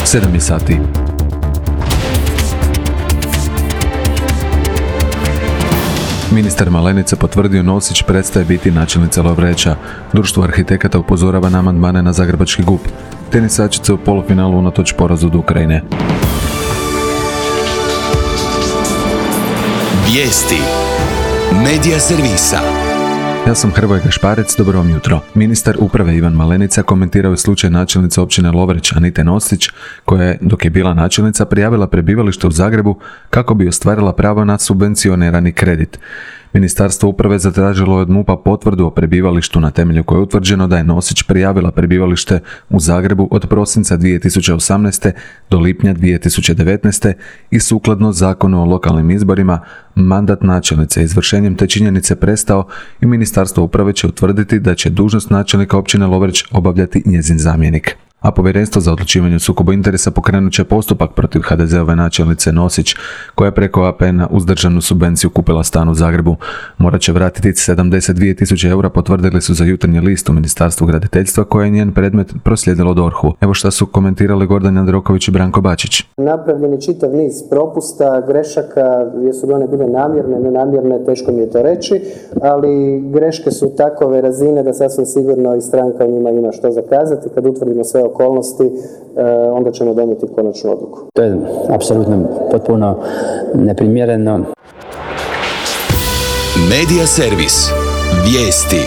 7 je sati. Ministar Malenica potvrdio Nosić prestaje biti načelnica Lovreča. Društvo arhitekata upozorava na amandmane na zagrebački GUP. Tenisačice u polufinalu unatoč porazu od Ukrajine. Vijesti Medija servisa. Ja sam Hrvoje Gašparec, dobro vam jutro. Ministar uprave Ivan Malenica komentirao je slučaj načelnice općine Lovreć Anite Nosić, koja je, dok je bila načelnica, prijavila prebivalište u Zagrebu kako bi ostvarila pravo na subvencionirani kredit. Ministarstvo uprave zatražilo je od MUP-a potvrdu o prebivalištu na temelju koje je utvrđeno da je Nosić prijavila prebivalište u Zagrebu od prosinca 2018. do lipnja 2019. i sukladno Zakonu o lokalnim izborima mandat načelnice izvršenjem te činjenice prestao i Ministarstvo uprave će utvrditi da će dužnost načelnika općine Lovreć obavljati njezin zamjenik. A Povjerenstvo za odlučivanje o sukobu interesa pokrenut će postupak protiv HDZ-ove načelnice Nosić, koja je preko APN-a uz državnu subvenciju kupila stan u Zagrebu. Morat će vratiti 72.000 eura, potvrdili su za Jutarnji list u Ministarstvu graditeljstva, koje je njen predmet proslijedilo DORH-u. Evo šta su komentirali Gordan Jandroković i Branko Bačić. Napravljen je čitav niz propusta, grešaka, jesu li one bile namjerne, nenamjerne, teško mi je to reći, ali greške su takove razine da sasvim sigurno i stranka u njima ima što zakazati. Kad utvrdimo sve okolnosti, onda ćemo donijeti konačnu odluku. To je apsolutno potpuno neprimjereno. Medija servis. Vijesti.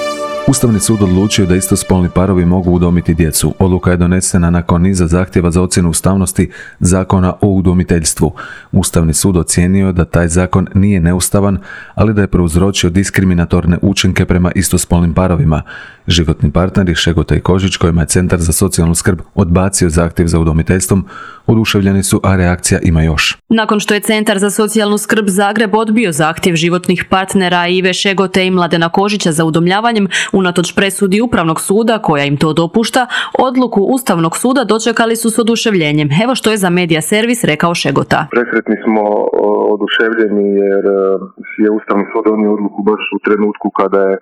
Ustavni sud odlučio da istospolni parovi mogu udomiti djecu. Odluka je donesena nakon niza zahtjeva za ocjenu ustavnosti Zakona o udomiteljstvu. Ustavni sud ocijenio da taj zakon nije neustavan, ali da je prouzročio diskriminatorne učinke prema istospolnim parovima. Životni partneri Šegota i Kožić, kojima je Centar za socijalnu skrb odbacio zahtjev za udomiteljstvom, oduševljeni su, a reakcija ima još. Nakon što je Centar za socijalnu skrb Zagreb odbio zahtjev životnih partnera Ive Šegote i Mladena Kožića za udomljavanjem, unatoč presudi Upravnog suda koja im to dopušta, odluku Ustavnog suda dočekali su s oduševljenjem. Evo što je za Medija servis rekao Šegota. Presretni smo, oduševljeni jer je Ustavni sud donio odluku baš u trenutku kada je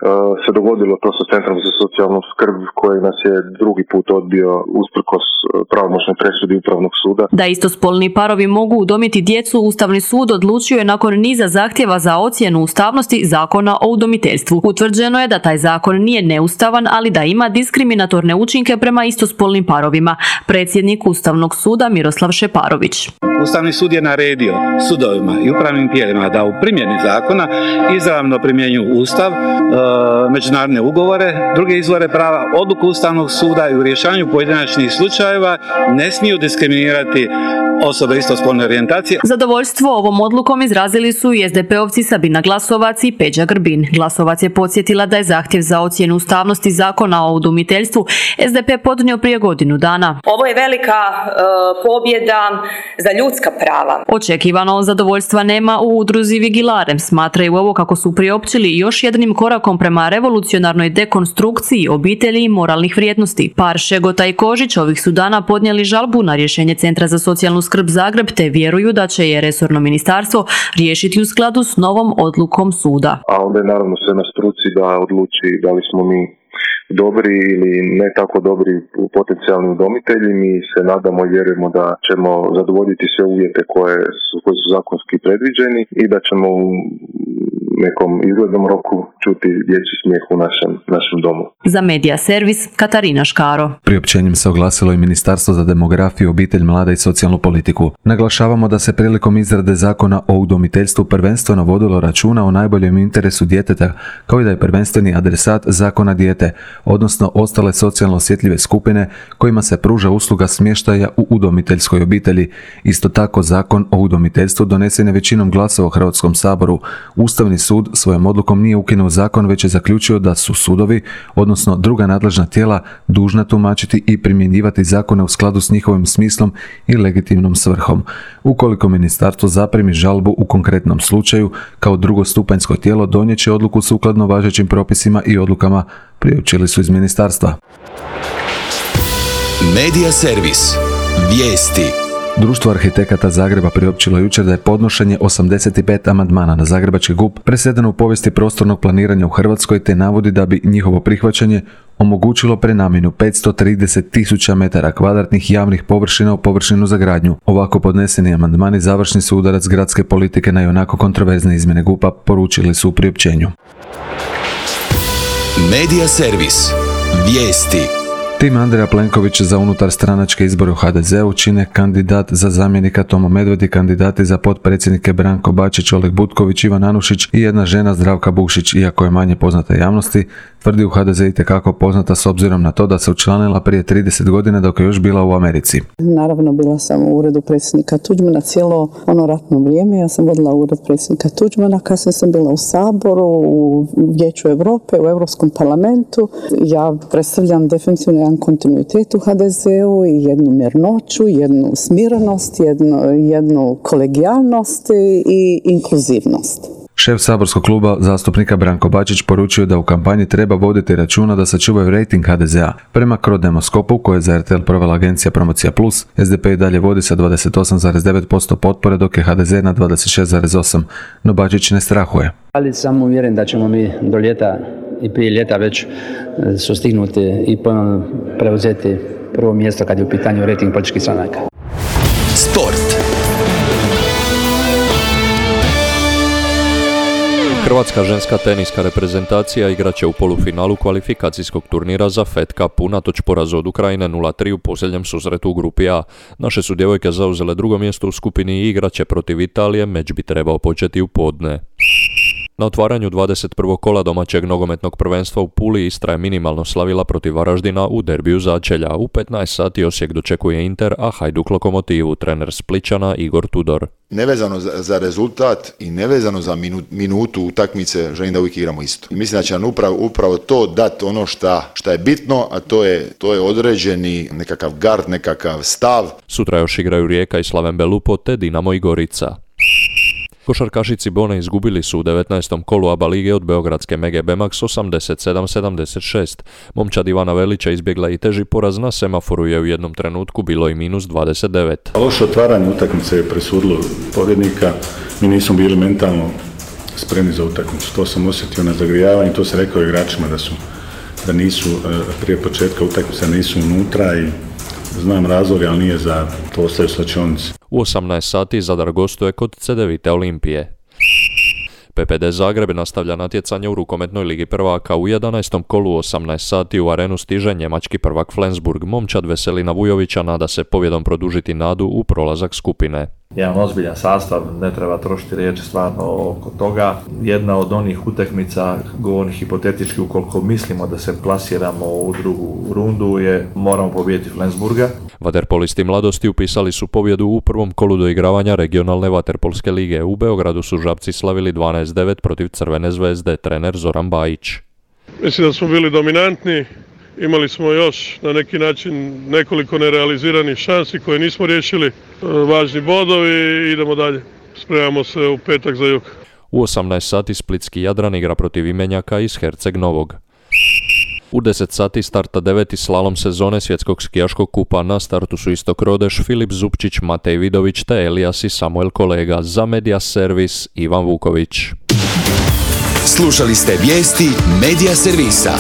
se dogodilo to sa Centrom za socijalnu skrb koji nas je drugi put odbio usprkos pravomoćnoj presudi Upravnog suda. Da istospolni parovi mogu udomiti djecu, Ustavni sud odlučio je nakon niza zahtjeva za ocjenu ustavnosti Zakona o udomiteljstvu. Utvrđeno je da taj zakon nije neustavan, ali da ima diskriminatorne učinke prema istospolnim parovima. Predsjednik Ustavnog suda Miroslav Šeparović. Ustavni sud je naredio sudovima i upravnim tijelima da u primjeni zakona izravno primjenjuju Ustav, međunarodne ugovore, druge izvore prava, odluku Ustavnog suda i u rješavanju pojedinačnih slučajeva ne smiju diskriminirati osobe istospolne orijentacije. Zadovoljstvo ovom odlukom izrazili su i SDP-ovci Sabina Glasovac i Peđa Grbin. Glasovac je podsjetila da je zahtjev za ocjenu ustavnosti Zakona o udomiteljstvu SDP podnio prije godinu dana. Ovo je velika pobjeda za ljudska prava. Očekivano zadovoljstva nema u udruzi Vigilarem. Smatraju ovo kako su priopćili još jednim korakom prema revolucionarnoj dekonstrukciji obitelji i moralnih vrijednosti. Par Šegota i Kožić ovih su dana podnijeli žalbu na rješenje Centra za socijalnu skrb Zagreb, te vjeruju da će je resorno ministarstvo riješiti u skladu s novom odlukom suda. A onda je naravno sve na struci da odluči da li smo mi dobri ili ne tako dobri potencijalni udomitelji. Mi se nadamo i vjerujemo da ćemo zadovoljiti sve uvjete koji su zakonski predviđeni i da ćemo u nekom izglednom roku čuti dječji smijeh u našem domu. Za Medija servis Katarina Škaro. Priopćenjem se oglasilo i Ministarstvo za demografiju, obitelj, mlade i socijalnu politiku. Naglašavamo da se prilikom izrade Zakona o udomiteljstvu prvenstveno vodilo računa o najboljem interesu djeteta, kao i da je prvenstveni adresat zakona dijete, odnosno ostale socijalno osjetljive skupine kojima se pruža usluga smještaja u udomiteljskoj obitelji. Isto tako, Zakon o udomiteljstvu donesen je većinom glasova u Hrvatskom saboru. Ustavni sud svojom odlukom nije ukinuo zakon, već je zaključio da su sudovi, odnosno druga nadležna tijela, dužna tumačiti i primjenjivati zakone u skladu s njihovim smislom i legitimnom svrhom. Ukoliko ministarstvo zaprimi žalbu u konkretnom slučaju, kao drugostupanjsko tijelo donijet će odluku sukladno važećim propisima i odlukama, priopćili su iz ministarstva. Medija servis. Vijesti. Društvo arhitekata Zagreba priopćilo jučer da je podnošenje 85 amandmana na zagrebački GUP presedano u povijesti prostornog planiranja u Hrvatskoj, te navodi da bi njihovo prihvaćanje omogućilo prenamjenu 530.000 metara kvadratnih javnih površina u površinu za gradnju. Ovako podneseni amandmani završni su udarac gradske politike na ionako kontroverzne izmjene GUP-a, poručili su u priopćenju. Medija servis. Vijesti. Tim Andreja Plenkovića za unutar stranačke izbore u HDZ-u čine kandidat za zamjenika Tomo Medved i kandidati za potpredsjednike Branko Bačić, Oleg Butković, Ivan Anušić i jedna žena Zdravka Bušić, iako je manje poznata javnosti, tvrdi u HDZ itekako poznata s obzirom na to da se učlanila prije 30 godina dok je još bila u Americi. Naravno, bila sam u uredu predsjednika Tuđmana cijelo ono ratno vrijeme. Ja sam vodila ured predsjednika Tuđmana, kasnije sam bila u Saboru, u Vijeću Europe, u Europskom parlamentu. Ja predstavljam definitivno jedan kontinuitet u HDZ-u i jednu mirnoću, jednu smirenost, jednu kolegijalnost i inkluzivnost. Šef saborskog kluba zastupnika Branko Bačić poručio da u kampanji treba voditi računa da sačuvaju rejting HDZ-a. Prema Crodemoskopu, koje je za RTL provela agencija Promocija Plus, SDP i dalje vodi sa 28,9% potpore, dok je HDZ na 26,8%, no Bačić ne strahuje. Ali sam uvjeren da ćemo mi do ljeta i prije ljeta već sustignuti i ponovno preuzeti prvo mjesto kad je u pitanju rejting političkih stranaka. Sport. Hrvatska ženska teniska reprezentacija igraće u polufinalu kvalifikacijskog turnira za Fed Cup unatoč porazu od Ukrajine 0-3 u posljednjem susretu u grupi A. Naše su djevojke zauzele drugo mjesto u skupini i igraće protiv Italije, meč bi trebao početi u podne. Na otvaranju 21. kola domaćeg nogometnog prvenstva u Puli Istra je minimalno slavila protiv Varaždina u derbiju začelja. U 15 sati Osijek dočekuje Inter, a Hajduk Lokomotivu, trener Splićana Igor Tudor. Nevezano za rezultat i nevezano za minutu utakmice, želim da uvijek igramo isto. I mislim da će nam upravo to dati ono šta je bitno, a to je određeni nekakav gard, nekakav stav. Sutra još igraju Rijeka i Slaven Belupo te Dinamo i Gorica. Košarkašici Bone izgubili su u 19. kolu ABA lige od beogradske Mege Bemax 87-76. Momčad Ivana Velića izbjegla i teži poraz, na semaforu je u jednom trenutku bilo i minus 29. Loše otvaranje utakmice je presudilo pobjednika. Mi nismo bili mentalno spremni za utakmicu. To sam osjetio na zagrijavanju, to se rekao igračima da nisu prije početka utakmice nisu unutra i znam razlog, ali nije za to, ostaju slačionici. U 18 sati Zadar gostuje kod Cedevite Olimpije. PPD Zagreb nastavlja natjecanje u rukometnoj ligi prvaka. U 11. kolu 18 sati u arenu stiže njemački prvak Flensburg. Momčad Veselina Vujovića nada se pobjedom produžiti nadu u prolazak skupine. Jedan ozbiljan sastav, ne treba trošiti riječi stvarno oko toga. Jedna od onih utakmica, govorim hipotetički, ukoliko mislimo da se plasiramo u drugu rundu, je moramo pobijediti Flensburga. Vaterpolisti mladosti upisali su pobjedu u prvom kolu doigravanja regionalne vaterpolske lige. U Beogradu su Žabci slavili 12-9 protiv Crvene zvezde, trener Zoran Bajić. Mislim da smo bili dominantni. Imali smo još na neki način nekoliko nerealiziranih šansi koje nismo riješili. Važni bodovi i idemo dalje. Spremamo se u petak za jug. U 18 sati splitski Jadran igra protiv Imenjaka iz Herceg Novog. U 10 sati starta 9. slalom sezone svjetskog skijaškog kupa. Na startu su Istok Rodeš, Filip Zupčić, Matej Vidović te Elijas i Samuel Kolega. Za Medija servis Ivan Vuković. Slušali ste vijesti Medija servisa.